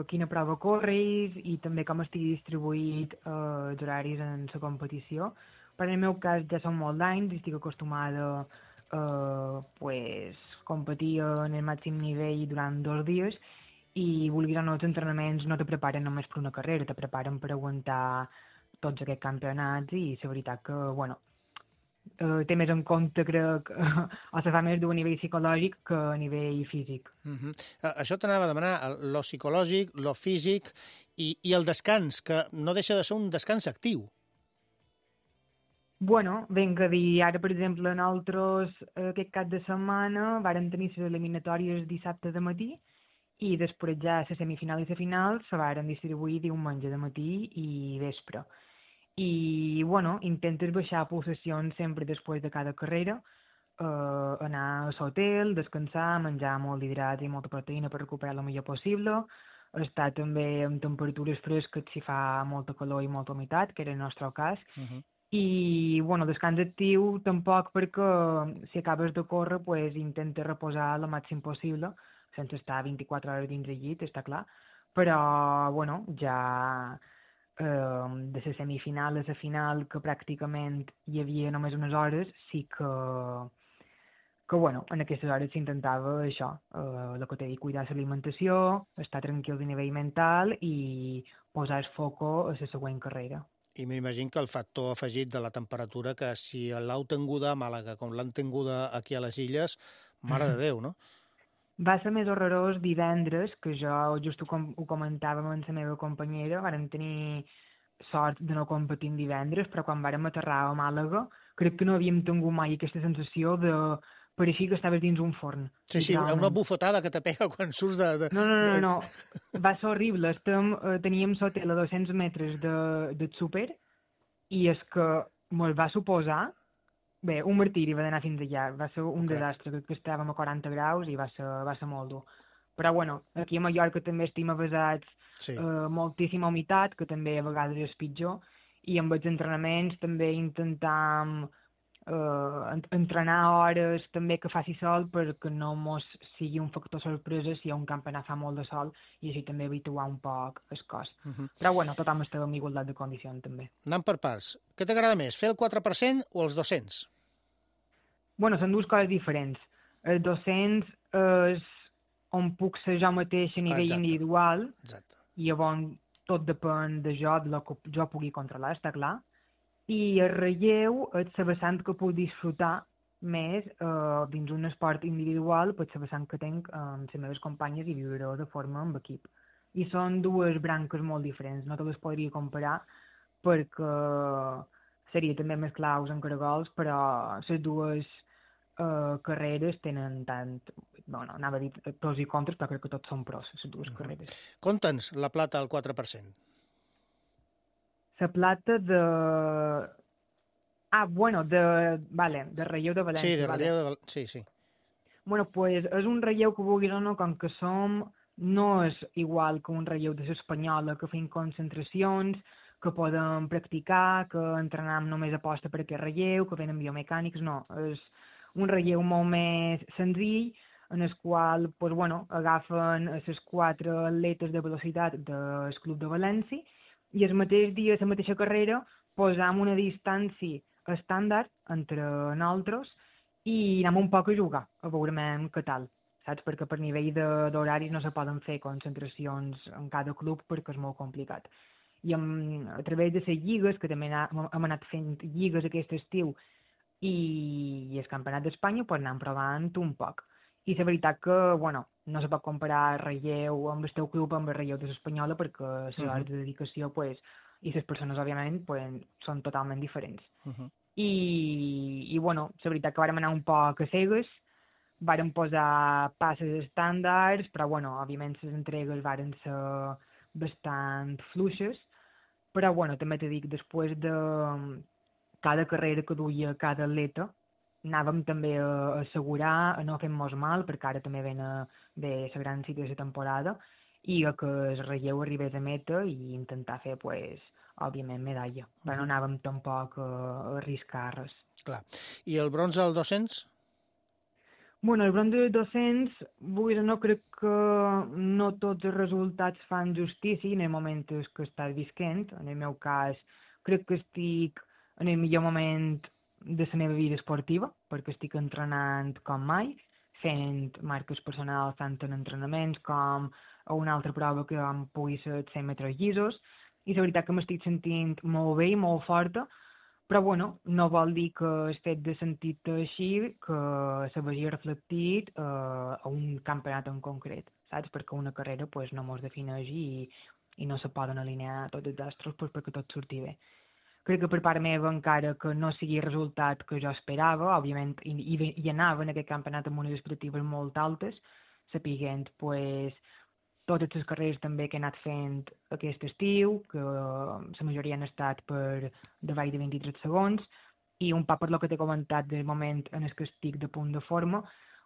quina prova corris i també com estigui distribuït els horaris en la competició. Per en el meu cas ja són molt d'anys i estic acostumada a competir en el màxim nivell durant 2 dies, i vulguis o no, els entrenaments no te preparen només per una carrera, te preparen per aguantar tots aquests campionats, i la veritat que, bueno, té més en compte, crec, o se fa més d'un nivell psicològic que a nivell físic. Això t'anava a demanar, lo psicològic, lo físic i el descans, que no deixa de ser un descans actiu. Bueno, ben que dir, ara, per exemple, nosaltres aquest cap de setmana vàrem tenir les eliminatòries dissabte de matí, i després ja la semifinal i la final se varen distribuir diumenge de matí i vespre. I, bueno, intentes baixar pulsacions sempre després de cada carrera, anar a l'hotel, descansar, menjar molt d'hidrats i molta proteïna per recuperar el millor possible, estar també amb temperatures fresques si fa molta calor i molta humitat, que era el nostre cas, I, bueno, descans actiu tampoc perquè si acabes de córrer, pues, intenta reposar el màxim possible, sense estar 24 hores dins el llit, està clar, però, bueno, ja de la semifinal a la final, que pràcticament hi havia només unes hores, sí que bueno, en aquestes hores s'intentava això, el que t'he dit, cuidar l'alimentació, estar tranquils a nivell mental i posar el foco a la següent carrera. I m'imagino que el factor afegit de la temperatura, que si l'heu tinguda a Màlaga com l'han tinguda aquí a les Illes, mare de Déu, no? Va ser més horrorós divendres, que jo just ho comentàvem amb la meva companyera, vàrem tenir sort de no competir divendres, però quan vàrem aterrar a Màlaga, crec que no havíem tingut mai aquesta sensació de pareixia que estaves dins un forn. Sí, una bufetada que te pega quan surts de... No. Va ser horrible. Teníem l'hotel a 200 metres del súper i és que me'l va suposar... Bé, un martiri va d'anar fins allà. Va ser un desastre, que estàvem a 40 graus i va ser molt dur. Però, bueno, aquí a Mallorca també estem avesats moltíssima humitat, que també a vegades és pitjor, i amb els entrenaments també intentam entrenar hores també que faci sol perquè no mos sigui un factor sorpresa si hi ha un campionat fa molt de sol i així també habituar un poc el cos. Però bueno, tothom estava en igualtat de condicions també. Anant per parts, què t'agrada més, fer el 4% o els 200? Bueno, són dues coses diferents. El 200 és on puc ser jo mateix a nivell individual i llavors tot depèn de jo, de lo que jo pugui controlar, està clar. I el relleu és la vessant que puc disfrutar més dins un esport individual, per la vessant que tinc amb les meves companyes i viure de forma amb equip. I són dues branques molt diferents, no te les podria comparar perquè seria també més claus en caragols, però les dues carreres tenen tant, bueno, anava a dir pros i contres, però crec que tots són pros, les dues carreres. Conta'ns la plata al 4%. La plata de... de relleu de València. Sí, de relleu de València, sí. Bueno, pues és un relleu que vulguis o no, com que no és igual que un relleu de l'espanyola, que fem concentracions, que podem practicar, que entrenem només aposta per aquest relleu, que venen biomecànics, no. És un relleu molt més senzill, en el qual, pues, bueno, agafen les 4 atletes de velocitat del Club de València i el mateix dia, la mateixa carrera, posam una distància estàndard entre nosaltres i anem un poc a jugar, a veurem què tal, saps? Perquè per nivell d'horaris no se poden fer concentracions en cada club perquè és molt complicat. I a través de les lligues, que també hem anat fent lligues aquest estiu, i el Campionat d'Espanya, pues anem provant un poc. I la veritat que, bueno, no se pot comparar el relleu amb el teu club amb el relleu de l'Espanyola perquè les hores de dedicació, pues, i les persones, òbviament, pues, són totalment diferents. I, bueno, la veritat que vàrem anar un poc a cegues, vàrem posar passes estàndards, però, bueno, òbviament les entregues varen ser bastant fluixes, però, bueno, també t'he dit, després de cada carrera que duia cada atleta, anàvem també a assegurar, a no fer-nos mal, perquè ara també ve la gran cita de la temporada, i que el relleu arribés a meta i intentar fer, pues, òbviament, medalla. Però no anàvem tampoc a arriscar res. Clar. I el bronze al 200? Bueno, el bronze del 200, vulguis o no, crec que no tots els resultats fan justícia en el moment que estàs visquent. En el meu cas, crec que estic en el millor moment de la meva vida esportiva, perquè estic entrenant com mai, fent marques personals tant en entrenaments com a una altra prova que pugui ser 100 metres llisos, i la veritat que m'estic sentint molt bé i molt forta, però bueno, no vol dir que el fet de sentir-te així que se vegi reflectit a un campionat en concret, saps? Perquè una carrera pues, no mos defineix i no se poden alinear tots els astros pues, perquè tot surti bé. Crec que per part meva, encara que no sigui el resultat que jo esperava, òbviament, i anava en aquest campionat amb unes expectatives molt altes, sapiguent, pues, totes les carreres també que he anat fent aquest estiu, que la majoria han estat per davall de 23 segons, i un poc per lo que t'he comentat del moment en el que estic de punt de forma,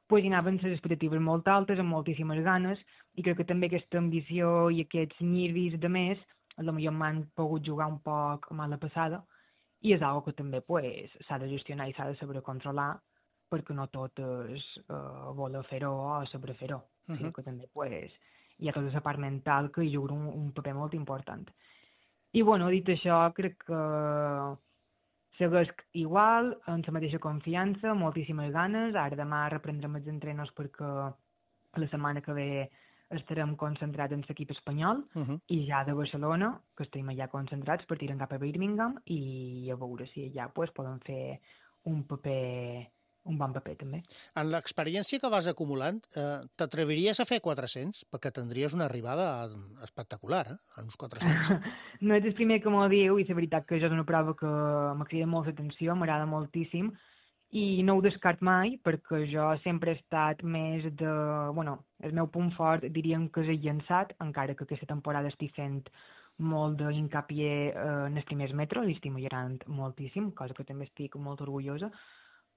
pues, hi anaven les expectatives molt altes, amb moltíssimes ganes, i crec que també aquesta ambició i aquests nervis de més, potser m'han pogut jugar un poc a mala passada i és algo que també s'ha de gestionar i s'ha de saber controlar, perquè no tot és voler fer-ho o saber fer-ho, sinó que també hi ha tota la part mental que hi juga un paper molt important. I bueno, dit això, crec que segueix igual, amb la mateixa confiança, moltíssimes ganes. Ara demà reprendrem els entrenos perquè la setmana que ve estarem concentrats en l'equip espanyol i ja de Barcelona, que estem allà concentrats, partirem cap a Birmingham i a veure si allà poden fer un bon paper també. En l'experiència que vas acumulant, t'atreviries a fer 400? Perquè tindries una arribada espectacular, en uns 400. No ets el primer que m'ho diu, i la veritat que això és una prova que m'ha cridat molt l'atenció, m'agrada moltíssim, i no ho descart mai, perquè jo sempre he estat més de... Bueno, el meu punt fort diríem que és el llançat, encara que aquesta temporada estic fent molt d'incapié en els primers metres, i estic millorant moltíssim, cosa que també estic molt orgullosa,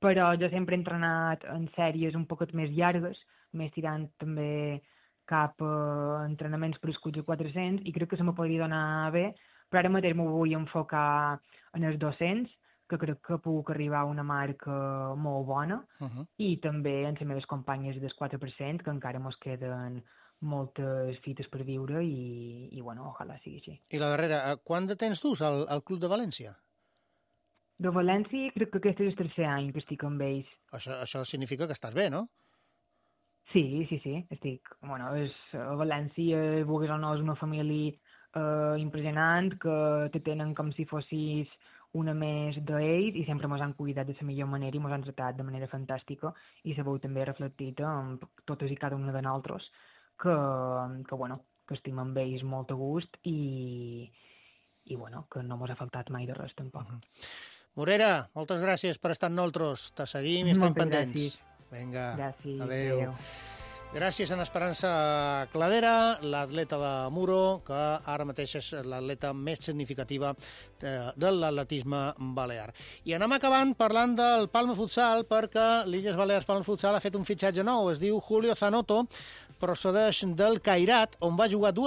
però jo sempre he entrenat en sèries un poquet més llargues, més tirant també cap a entrenaments per escuts de 400, i crec que se me podria donar bé, però ara mateix m'ho vull enfocar en els 200, que crec que puc arribar a una marca molt bona, i també en les meves companyes del 4%, que encara mos queden moltes fites per viure, i bueno, ojalà sigui així. I la darrera, quant de temps dus al Club de València? De València crec que aquest és el tercer any que estic amb ells. Això significa que estàs bé, no? Sí, estic... Bueno, a València, vulguis o no, és una família impressionant, que te tenen com si fossis una més d'ells, i sempre ens han cuidat de la millor manera i ens han tratat de manera fantàstica, i se veu també reflectit en totes i cada una de nosaltres, que estim amb ells molt a gust, i bueno, que no ens ha faltat mai de res tampoc. Morera, moltes gràcies per estar amb nosaltres. Te seguim i estem pendents. Gràcies. Vinga, gràcies. Adéu. Gràcies a Esperança Cladera, l'atleta de Muro, que ara mateix és l'atleta més significativa de l'atletisme balear. I anem acabant parlant del Palma Futsal, perquè l'Illes Balears Palma Futsal ha fet un fitxatge nou, es diu Julio Zanotto, procedeix del Cairat, on va jugar fa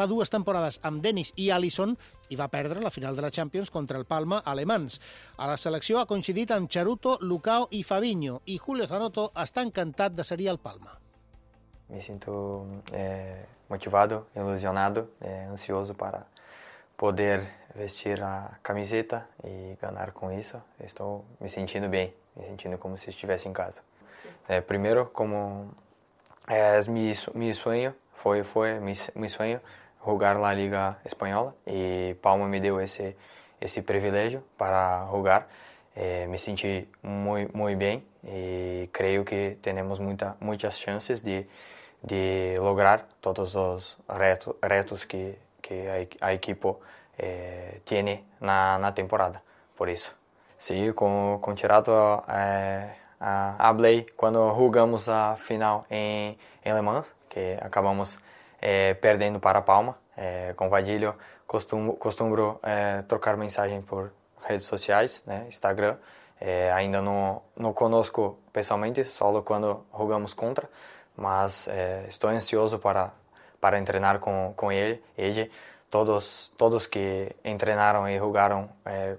2 temporades amb Denis i Alisson, i va perdre la final de la Champions contra el Palma alemans. A la selecció ha coincidit amb Charuto, Lucao i Fabinho, i Julio Zanotto està encantat de ser al Palma. Me sinto motivado, ilusionado, ansioso para poder vestir a camiseta e ganhar com isso. Estou me sentindo bem, me sentindo como se estivesse em casa. Primeiro, como mi sueño, foi mi sueño jugar la Liga Espanhola, e Palma me deu esse privilégio para jogar. Me senti muito bem e creio que temos muitas chances de lograr todos os retos que a equipe tiene na temporada. Por isso, sim, com Charuto hablei quando jogamos a final em Le Mans, que acabamos perdendo para Palma. Com Vadilho costumo trocar mensagem por redes sociais, né, Instagram. Ainda não conosco pessoalmente, só quando jogamos contra, mas estou ansioso para treinar com ele. Todos que treinaram e jogaram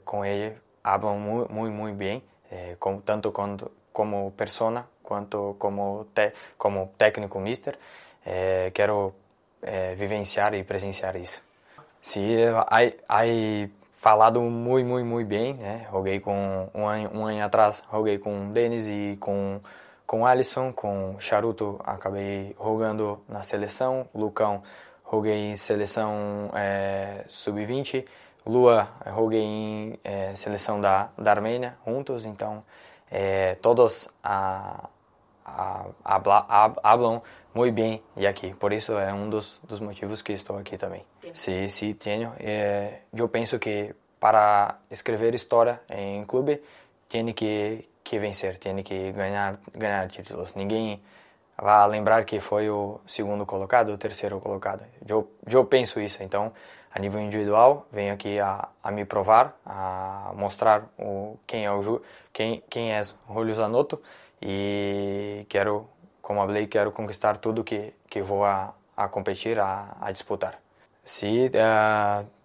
com ele falam muito bem, tanto como persona quanto como técnico mister. Quero vivenciar e presenciar isso. Sim, aí falado muito bem, né? Joguei com um ano atrás, joguei com Denis e com Alisson, com Charuto acabei jogando na seleção, Lucão joguei em seleção sub-20, Lua joguei em seleção da Armênia juntos, então todos hablam muito bem e aqui, por isso é dos motivos que estou aqui também. Sim, tenho. Eu penso que para escrever história em clube tem que vencer, tem que ganhar títulos. Ninguém vai lembrar que foi o segundo colocado, o terceiro colocado. Eu penso isso. Então, a nível individual, venho aqui a me provar, a mostrar quem é Julio Zanotto. E quero conquistar tudo que vou a competir, a disputar. Sí,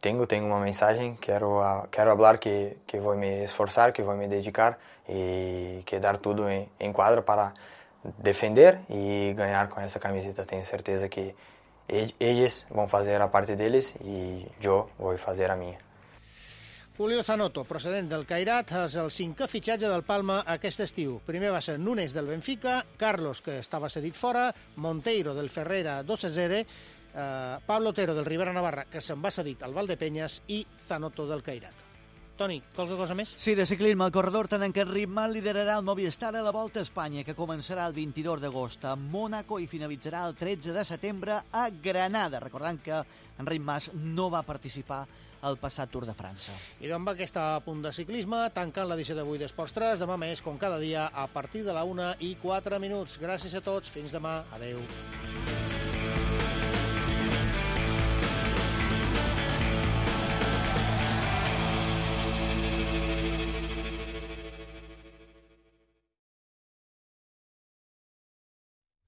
tengo una mensaje, quiero hablar que voy a me esforzar, que voy a me dedicar y que dar todo en cuadro para defender y ganar con esa camiseta. Tengo certeza que ellos van a hacer la parte de ellos y yo voy a hacer la mía. Julio Zanotto, procedent del Cairat, és el 5è fitxatge del Palma aquest estiu. Primer va ser Núñez del Benfica, Carlos, que estava cedit fora, Monteiro del Ferrera 2-0, Pablo Otero del Rivera Navarra, que se'n va cedit al Valdepeñas, i Zanotto del Cairat. Toni, qualque cosa més? Sí, de ciclisme, el corredor Tadej Ritmal liderarà el Movistar a la Volta a Espanya, que començarà el 22 d'agost a Mònaco i finalitzarà el 13 de setembre a Granada. Recordant que Enric Mas no va participar al passat Tour de França. I d'on va aquesta punt de ciclisme, tancant l'edició d'avui d'Esports 3, demà més, com cada dia, a partir de la 1:04. Gràcies a tots, fins demà, adeu.